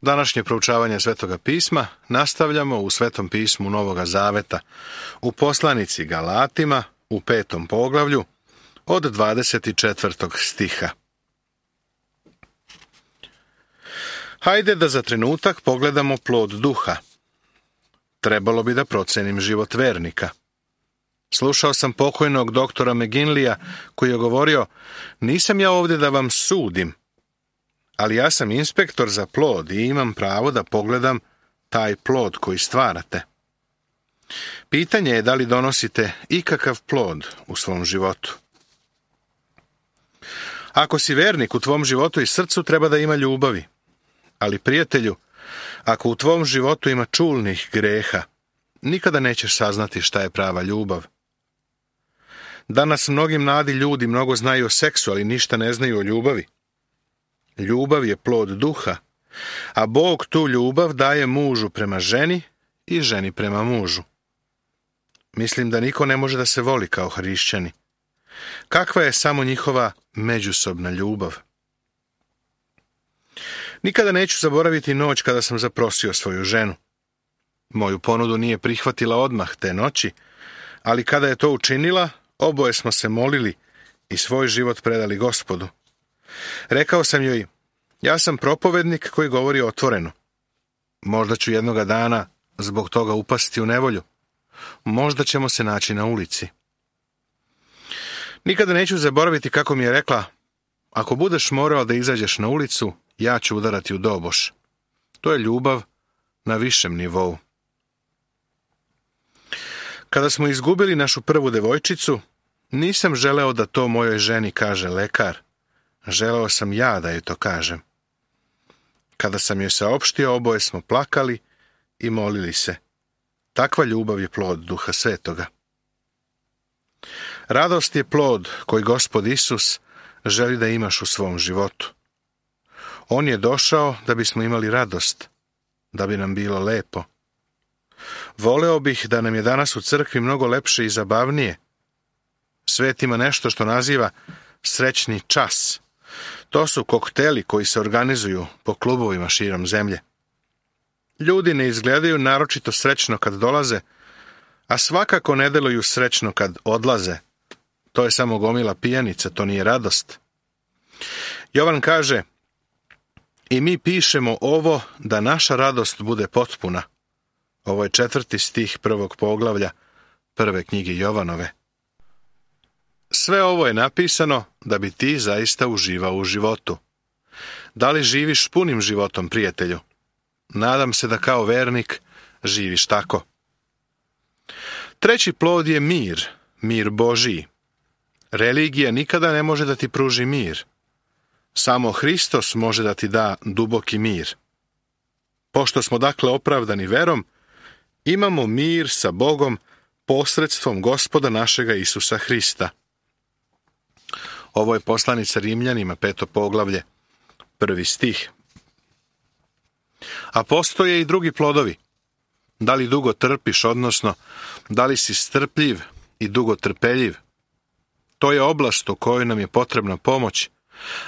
Današnje proučavanje Svetoga pisma nastavljamo u Svetom pismu Novoga Zaveta, u poslanici Galatima, u 5. poglavlju, od 24. stiha. Hajde da za trenutak pogledamo plod duha. Trebalo bi da procenim život vernika. Slušao sam pokojnog doktora McGinleya koji je govorio: nisam ja ovdje da vam sudim, ali ja sam inspektor za plod i imam pravo da pogledam taj plod koji stvarate. Pitanje je da li donosite ikakav plod u svom životu. Ako si vernik, u tvom životu i srcu treba da ima ljubavi. Ali, prijatelju, ako u tvom životu ima čulnih greha, nikada nećeš saznati šta je prava ljubav. Danas mnogi mladi ljudi mnogo znaju o seksu, ali ništa ne znaju o ljubavi. Ljubav je plod duha, a Bog tu ljubav daje mužu prema ženi i ženi prema mužu. Mislim da niko ne može da se voli kao hrišćani. Kakva je samo njihova međusobna ljubav? Nikada neću zaboraviti noć kada sam zaprosio svoju ženu. Moju ponudu nije prihvatila odmah te noći, ali kada je to učinila, oboje smo se molili i svoj život predali Gospodu. Rekao sam joj: ja sam propovednik koji govori otvoreno. Možda ću jednoga dana zbog toga upasti u nevolju. Možda ćemo se naći na ulici. Nikada neću zaboraviti kako mi je rekla: ako budeš morao da izađeš na ulicu, ja ću udarati u doboš. To je ljubav na višem nivou. Kada smo izgubili našu prvu devojčicu, nisam želeo da to mojoj ženi kaže lekar. Želeo sam ja da joj to kažem. Kada sam joj saopštio, oboje smo plakali i molili se. Takva ljubav je plod Duha Svetoga. Radost je plod koji Gospod Isus želi da imaš u svom životu. On je došao da bismo imali radost, da bi nam bilo lepo. Voleo bih da nam je danas u crkvi mnogo lepše i zabavnije. Svet ima nešto što naziva srećni čas. To su kokteli koji se organizuju po klubovima širom zemlje. Ljudi ne izgledaju naročito srećno kad dolaze, a svakako ne deluju srećno kad odlaze. To je samo gomila pijanica, to nije radost. Jovan kaže: i mi pišemo ovo da naša radost bude potpuna. Ovo je 4. stih 1. poglavlja 1. knjige Jovanove. Sve ovo je napisano da bi ti zaista uživao u životu. Da li živiš punim životom, prijatelju? Nadam se da kao vernik živiš tako. Treći plod je mir, mir Božiji. Religija nikada ne može da ti pruži mir. Samo Hristos može da ti da duboki mir. Pošto smo dakle opravdani verom, imamo mir sa Bogom posredstvom Gospoda našega Isusa Hrista. Ovo je poslanica Rimljanima, 5. poglavlje, 1. stih. A postoje i drugi plodovi. Da li dugo trpiš, odnosno da li si strpljiv i dugo trpeljiv? To je oblast u kojoj nam je potrebna pomoć,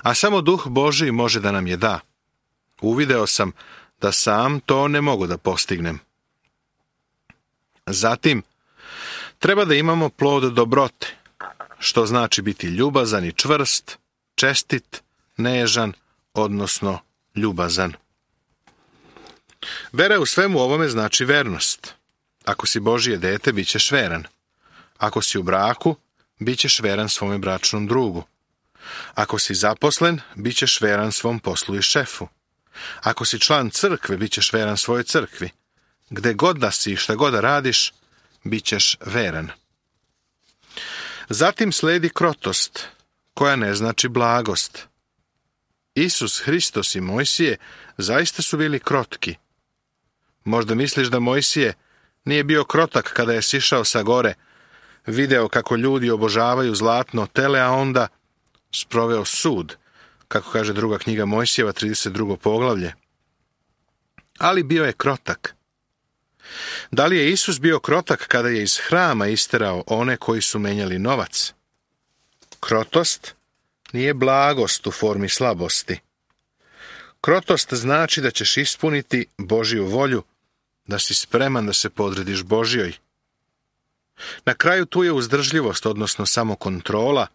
a samo Duh Božiji može da nam je da. Uvideo sam da sam to ne mogu da postignem. Zatim, treba da imamo plod dobrote, što znači biti ljubazan i čvrst, čestit, nežan, odnosno ljubazan. Vera u svemu ovome znači vernost. Ako si Božije dete, bit ćeš veran. Ako si u braku, bit ćeš veran svome bračnom drugu. Ako si zaposlen, bit ćeš veran svom poslu i šefu. Ako si član crkve, bit ćeš veran svojoj crkvi. Gde god da si i šta god da radiš, bit ćeš veran. Zatim sledi krotost, koja ne znači blagost. Isus Hristos i Mojsije zaista su bili krotki. Možda misliš da Mojsije nije bio krotak kada je sišao sa gore, video kako ljudi obožavaju zlatno tele, a onda sproveo sud, kako kaže 2. knjiga Mojsijeva, 32. poglavlje. Ali bio je krotak. Da li je Isus bio krotak kada je iz hrama isterao one koji su menjali novac? Krotost nije blagost u formi slabosti. Krotost znači da ćeš ispuniti Božju volju, da si spreman da se podrediš Božjoj. Na kraju tu je uzdržljivost, odnosno samokontrola.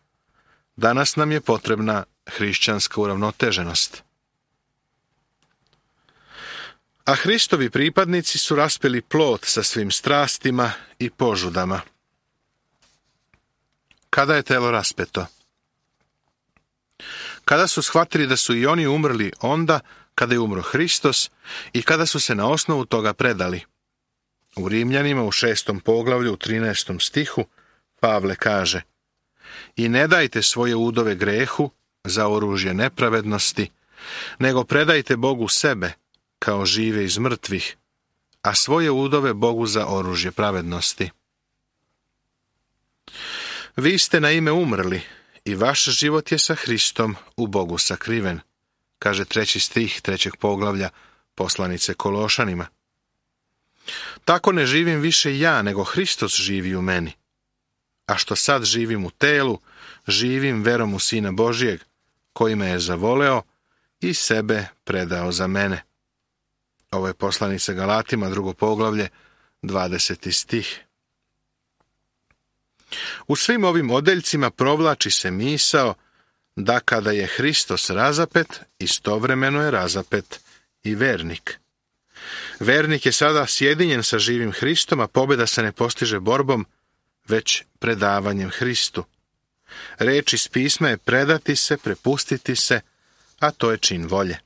Danas nam je potrebna hrišćanska uravnoteženost. A Hristovi pripadnici su raspeli plod sa svim strastima i požudama. Kada je telo raspeto? Kada su shvatili da su i oni umrli onda kada je umro Hristos i kada su se na osnovu toga predali. U Rimljanima u 6. poglavlju u 13. stihu Pavle kaže: I ne dajte svoje udove grehu za oružje nepravednosti, nego predajte Bogu sebe kao žive iz mrtvih, a svoje udove Bogu za oružje pravednosti. Vi ste na ime umrli i vaš život je sa Hristom u Bogu sakriven, kaže 3. stih 3. poglavlja poslanice Kološanima. Tako ne živim više ja, nego Hristos živi u meni. A što sad živim u telu, živim verom u Sina Božijeg, koji me je zavoleo i sebe predao za mene. Ovo je poslanica Galatima, 2. poglavlje, 20. stih. U svim ovim odeljcima provlači se misao da kada je Hristos razapet, istovremeno je razapet i vernik. Vernik je sada sjedinjen sa živim Hristom, a pobjeda se ne postiže borbom, već predavanjem Hristu. Reč iz pisma je predati se, prepustiti se, a to je čin volje.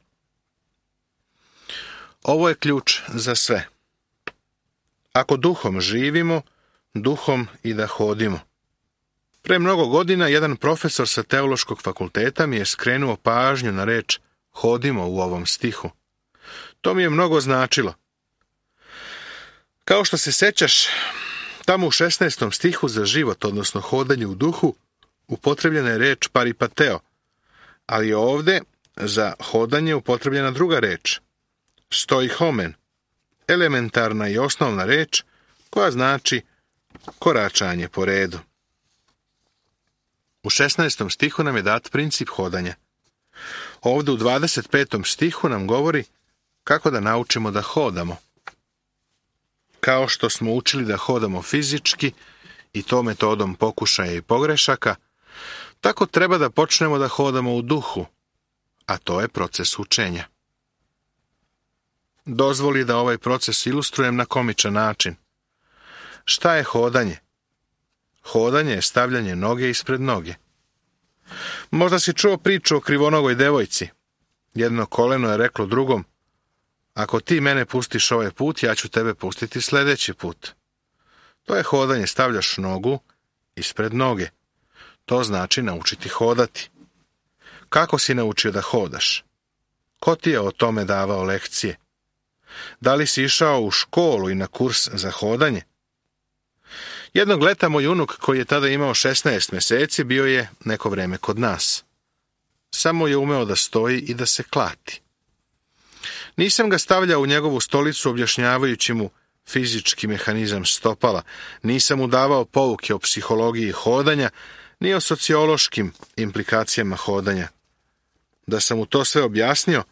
Ovo je ključ za sve. Ako duhom živimo, duhom i da hodimo. Pre mnogo godina jedan profesor sa teološkog fakulteta mi je skrenuo pažnju na reč hodimo u ovom stihu. To mi je mnogo značilo. Kao što se sećaš, tamo u 16. stihu za život, odnosno hodanje u duhu, upotrebljena je reč paripateo, ali je ovdje za hodanje upotrebljena druga reč, stoihomen, elementarna i osnovna reč koja znači koračanje po redu. U 16. stihu nam je dat princip hodanja. Ovdje u 25. stihu nam govori kako da naučimo da hodamo. Kao što smo učili da hodamo fizički i to metodom pokušaja i pogrešaka, tako treba da počnemo da hodamo u duhu, a to je proces učenja. Dozvoli da ovaj proces ilustrujem na komičan način. Šta je hodanje? Hodanje je stavljanje noge ispred noge. Možda si čuo priču o krivonogoj devojci. Jedno koleno je reklo drugom: ako ti mene pustiš ovaj put, ja ću tebe pustiti sljedeći put. To je hodanje, stavljaš nogu ispred noge. To znači naučiti hodati. Kako si naučio da hodaš? Ko ti je o tome davao lekcije? Da li si išao u školu i na kurs za hodanje? Jednog leta moj unuk, koji je tada imao 16 mjeseci, bio je neko vreme kod nas. Samo je umeo da stoji i da se klati. Nisam ga stavljao u njegovu stolicu objašnjavajući mu fizički mehanizam stopala, nisam mu davao pouke o psihologiji hodanja, ni o sociološkim implikacijama hodanja. Da sam mu to sve objasnio,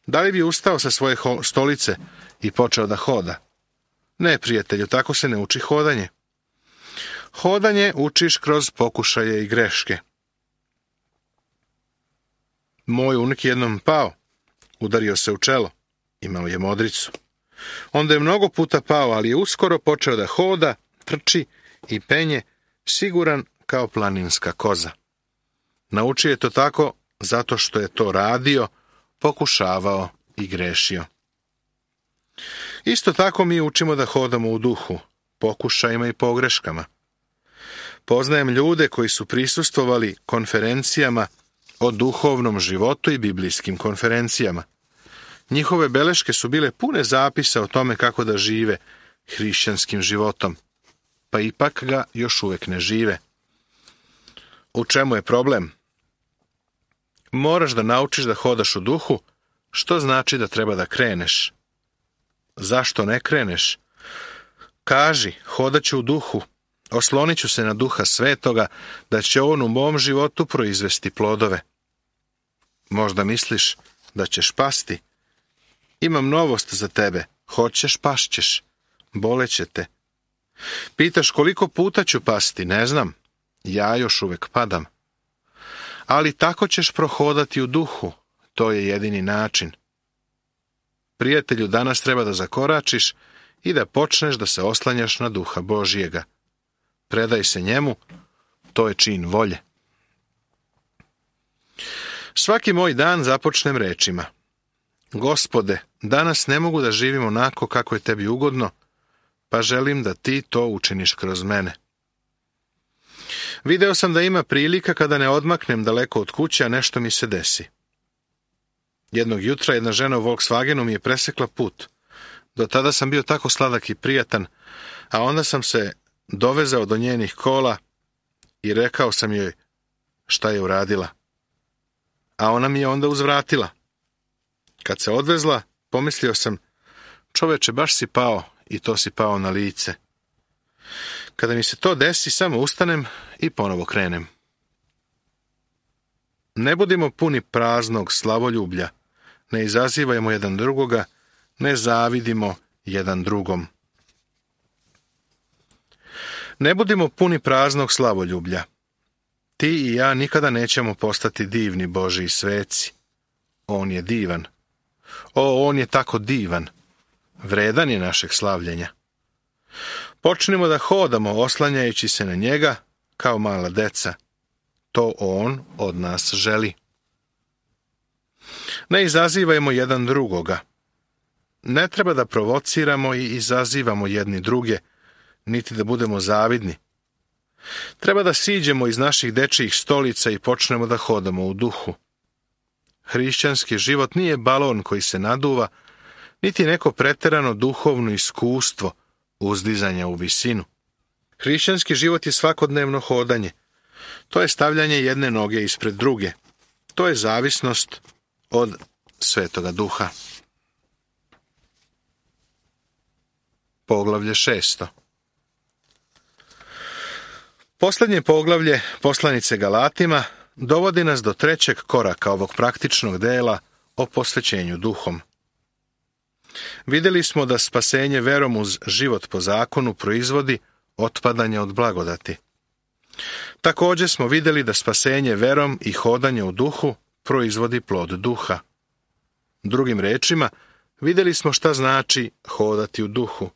da li bi ustao sa svoje stolice i počeo da hoda? Ne, prijatelju, tako se ne uči hodanje. Hodanje učiš kroz pokušaje i greške. Moj unuk jednom pao, udario se u čelo, imao je modricu. Onda je mnogo puta pao, ali je uskoro počeo da hoda, trči i penje, siguran kao planinska koza. Naučio je to tako zato što je to radio, pokušavao i grešio. Isto tako mi učimo da hodamo u duhu, pokušajima i pogreškama. Poznajem ljude koji su prisustvovali konferencijama o duhovnom životu i biblijskim konferencijama. Njihove beleške su bile pune zapisa o tome kako da žive hrišćanskim životom, pa ipak ga još uvijek ne žive. U čemu je problem? Moraš da naučiš da hodaš u duhu, što znači da treba da kreneš. Zašto ne kreneš? Kaži, hodat ću u duhu, oslonit ću se na Duha Svetoga, da će on u mom životu proizvesti plodove. Možda misliš, da ćeš pasti. Imam novost za tebe, hoćeš, pašćeš, boleće te. Pitaš koliko puta ću pasti, ne znam, ja još uvek padam. Ali tako ćeš prohodati u duhu, to je jedini način. Prijatelju, danas treba da zakoračiš i da počneš da se oslanjaš na duha Božijega. Predaj se njemu, to je čin volje. Svaki moj dan započnem rečima: Gospode, danas ne mogu da živim onako kako je tebi ugodno, pa želim da ti to učiniš kroz mene. Video sam da ima prilika kada ne odmaknem daleko od kuće, a nešto mi se desi. Jednog jutra jedna žena u Volkswagenu mi je presekla put. Do tada sam bio tako sladak i prijatan, a onda sam se dovezao do njenih kola i rekao sam joj šta je uradila. A ona mi je onda uzvratila. Kad se odvezla, pomislio sam: čoveče, baš si pao, i to si pao na lice. Kada mi se to desi, samo ustanem i ponovo krenem. Ne budimo puni praznog slavoljublja, ne izazivajmo jedan drugoga, ne zavidimo jedan drugom. Ne budimo puni praznog slavoljublja. Ti i ja nikada nećemo postati divni Božji sveci. On je divan. On je tako divan. Vredan je našeg slavljenja. Počnimo da hodamo oslanjajući se na njega kao mala deca. To on od nas želi. Ne izazivajmo jedan drugoga. Ne treba da provociramo i izazivamo jedni druge, niti da budemo zavidni. Treba da siđemo iz naših dečijih stolica i počnemo da hodamo u duhu. Hrišćanski život nije balon koji se naduva, niti neko preterano duhovno iskustvo uzdizanja u visinu. Hrišćanski život je svakodnevno hodanje. To je stavljanje jedne noge ispred druge. To je zavisnost od Svetoga Duha. Poglavlje 6. Posljednje poglavlje poslanice Galatima dovodi nas do trećeg koraka ovog praktičnog dela o posvećenju duhom. Vidjeli smo da spasenje verom uz život po zakonu proizvodi otpadanje od blagodati. Također smo vidjeli da spasenje verom i hodanje u duhu proizvodi plod duha. Drugim rečima, vidjeli smo šta znači hodati u duhu.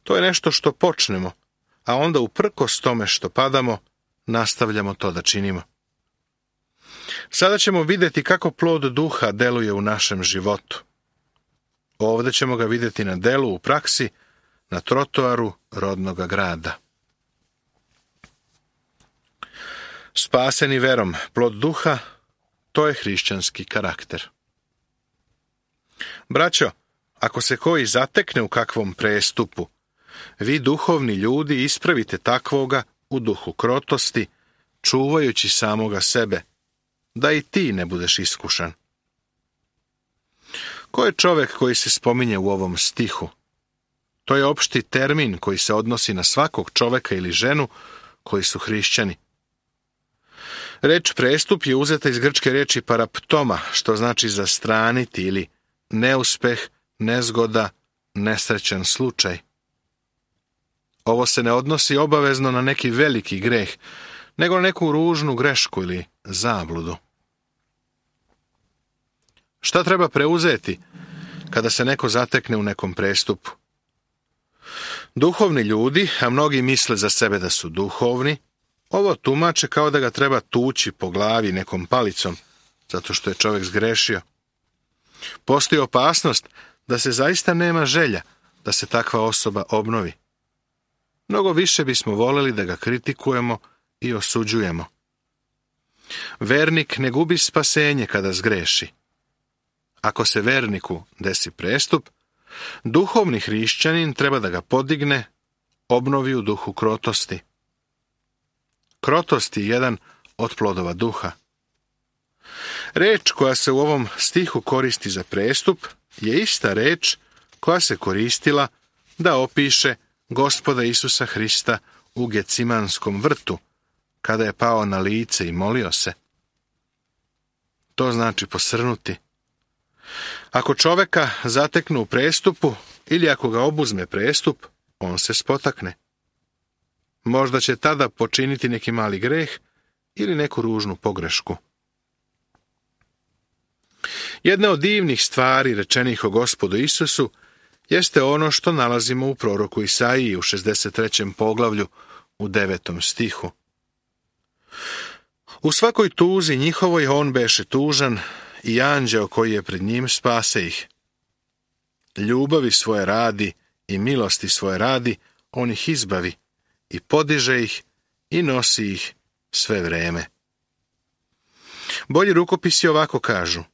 To je nešto što počnemo, a onda uprkos tome što padamo, nastavljamo to da činimo. Sada ćemo vidjeti kako plod duha deluje u našem životu. Ovdje ćemo ga vidjeti na delu u praksi, na trotoaru rodnoga grada. Spaseni verom, plod duha, to je hrišćanski karakter. Braćo, ako se koji zatekne u kakvom prestupu, vi duhovni ljudi ispravite takvoga u duhu krotosti, čuvajući samoga sebe, da i ti ne budeš iskušan. Ko je čovjek koji se spominje u ovom stihu? To je opšti termin koji se odnosi na svakog čovjeka ili ženu koji su hrišćani. Reč prestup je uzeta iz grčke riječi paraptoma, što znači zastraniti ili neuspeh, nezgoda, nesrećan slučaj. Ovo se ne odnosi obavezno na neki veliki greh, nego na neku ružnu grešku ili zabludu. Šta treba preuzeti kada se neko zatekne u nekom prestupu? Duhovni ljudi, a mnogi misle za sebe da su duhovni, ovo tumače kao da ga treba tući po glavi nekom palicom, zato što je čovjek zgrešio. Postoji opasnost da se zaista nema želja da se takva osoba obnovi. Mnogo više bismo voljeli da ga kritikujemo i osuđujemo. Vernik ne gubi spasenje kada zgreši. Ako se verniku desi prestup, duhovni hrišćanin treba da ga podigne, obnovi u duhu krotosti. Krotost je jedan od plodova duha. Reč koja se u ovom stihu koristi za prestup je ista reč koja se koristila da opiše Gospoda Isusa Hrista u Gecimanskom vrtu, kada je pao na lice i molio se. To znači posrnuti, Ako čoveka zateknu u prestupu ili ako ga obuzme prestup, on se spotakne. Možda će tada počiniti neki mali greh ili neku ružnu pogrešku. Jedna od divnih stvari rečenih o Gospodu Isusu jeste ono što nalazimo u proroku Isaiji u 63. poglavlju u 9. stihu. U svakoj tuzi njihovoj on beše tužan i anđeo koji je pred njim spase ih. Ljubavi svoje radi i milosti svoje radi, on ih izbavi i podiže ih i nosi ih sve vreme. Bolji rukopisi ovako kažu: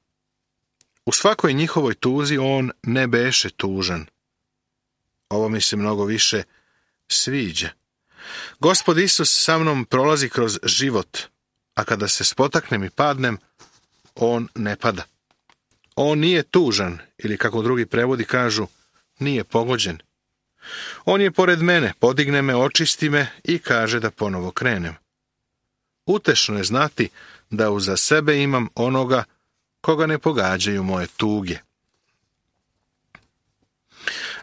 u svakoj njihovoj tuzi on ne beše tužan. Ovo mi se mnogo više sviđa. Gospod Isus sa mnom prolazi kroz život, a kada se spotaknem i padnem, on ne pada. On nije tužan, ili kako drugi prevodi kažu, nije pogođen. On je pored mene, podigne me, očisti me i kaže da ponovo krenem. Utešno je znati da uza sebe imam onoga koga ne pogađaju moje tuge.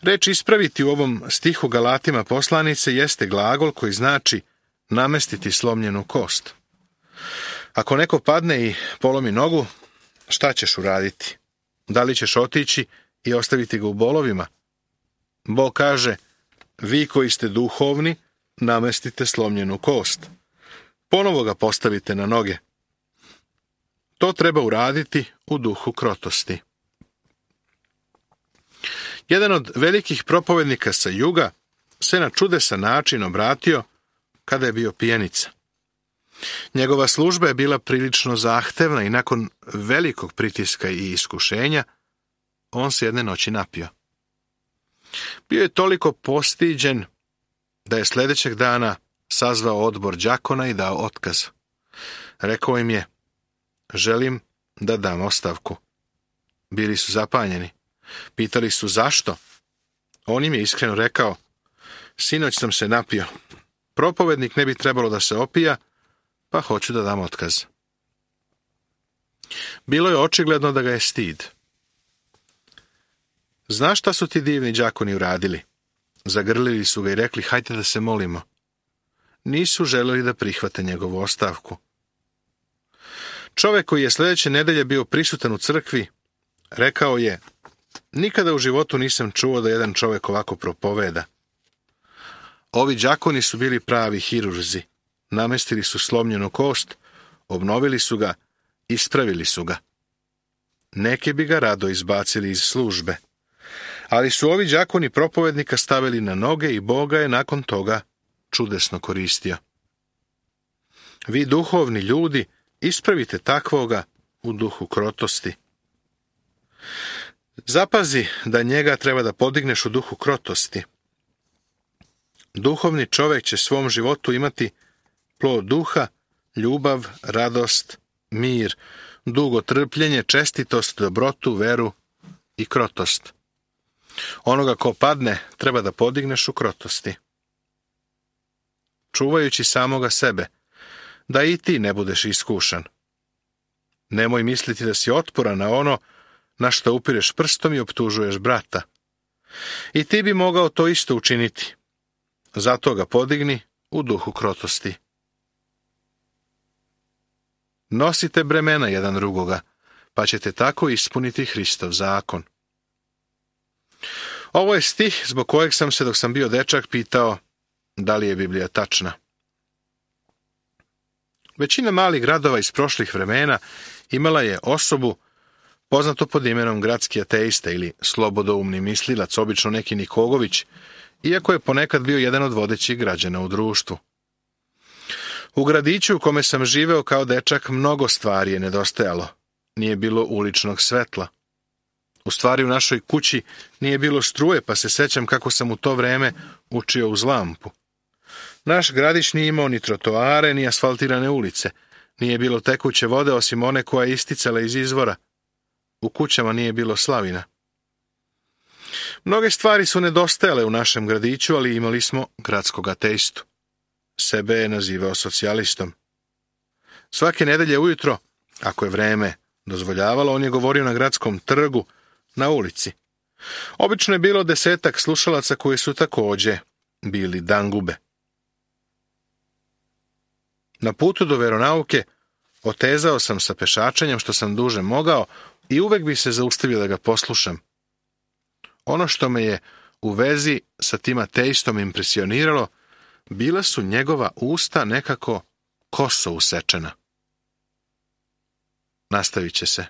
Reč ispraviti u ovom stihu Galatima poslanice jeste glagol koji znači namestiti slomljenu kost. Ako neko padne i polomi nogu, šta ćeš uraditi? Da li ćeš otići i ostaviti ga u bolovima? Bog kaže: vi koji ste duhovni, namestite slomljenu kost. Ponovo ga postavite na noge. To treba uraditi u duhu krotosti. Jedan od velikih propovednika sa juga se na čudesan način obratio kada je bio pijanica. Njegova služba je bila prilično zahtevna i nakon velikog pritiska i iskušenja, on se jedne noći napio. Bio je toliko postiđen da je sljedećeg dana sazvao odbor đakona i dao otkaz. Rekao im je: želim da dam ostavku. Bili su zapanjeni. Pitali su zašto. On im je iskreno rekao: sinoć sam se napio. Propovednik ne bi trebalo da se opija, pa hoću da dam otkaz. Bilo je očigledno da ga je stid. Znaš šta su ti divni đakoni uradili? Zagrlili su ga i rekli: hajde da se molimo. Nisu želeli da prihvate njegovu ostavku. Čovek koji je sljedeće nedelje bio prisutan u crkvi, rekao je: nikada u životu nisam čuo da jedan čovek ovako propoveda. Ovi đakoni su bili pravi hirurzi. Namestili su slomljenu kost, obnovili su ga, ispravili su ga. Neki bi ga rado izbacili iz službe. Ali su ovi đakoni propovednika stavili na noge i Bog ga je nakon toga čudesno koristio. Vi duhovni ljudi, ispravite takvoga u duhu krotosti. Zapazi da njega treba da podigneš u duhu krotosti. Duhovni čovjek će svom životu imati plod duha, ljubav, radost, mir, dugo trpljenje, čestitost, dobrotu, veru i krotost. Onoga ko padne treba da podigneš u krotosti. Čuvajući samoga sebe, da i ti ne budeš iskušan. Nemoj misliti da si otporan na ono na što upireš prstom i optužuješ brata. I ti bi mogao to isto učiniti. Zato ga podigni u duhu krotosti. Nosite bremena jedan drugoga, pa ćete tako ispuniti Hristov zakon. Ovo je stih zbog kojeg sam se dok sam bio dečak pitao da li je Biblija tačna. Većina malih gradova iz prošlih vremena imala je osobu poznato pod imenom gradski ateista ili slobodoumni mislilac, obično neki Nikogović, iako je ponekad bio jedan od vodećih građana u društvu. U gradiću u kome sam živeo kao dečak mnogo stvari je nedostajalo. Nije bilo uličnog svetla. U stvari u našoj kući nije bilo struje, pa se sećam kako sam u to vreme učio uz lampu. Naš gradić nije imao ni trotoare, ni asfaltirane ulice. Nije bilo tekuće vode osim one koja je isticala iz izvora. U kućama nije bilo slavina. Mnoge stvari su nedostajale u našem gradiću, ali imali smo gradskog ateistu. Sebe je nazivao socijalistom. Svake nedelje ujutro, ako je vreme dozvoljavalo, on je govorio na gradskom trgu, na ulici. Obično je bilo 10 slušalaca koji su također bili dangube. Na putu do veronauke otezao sam sa pešačenjem što sam duže mogao i uvek bi se zaustavio da ga poslušam. Ono što me je u vezi sa tim ateistom impresioniralo, bila su njegova usta nekako koso usečena. Nastavit će se.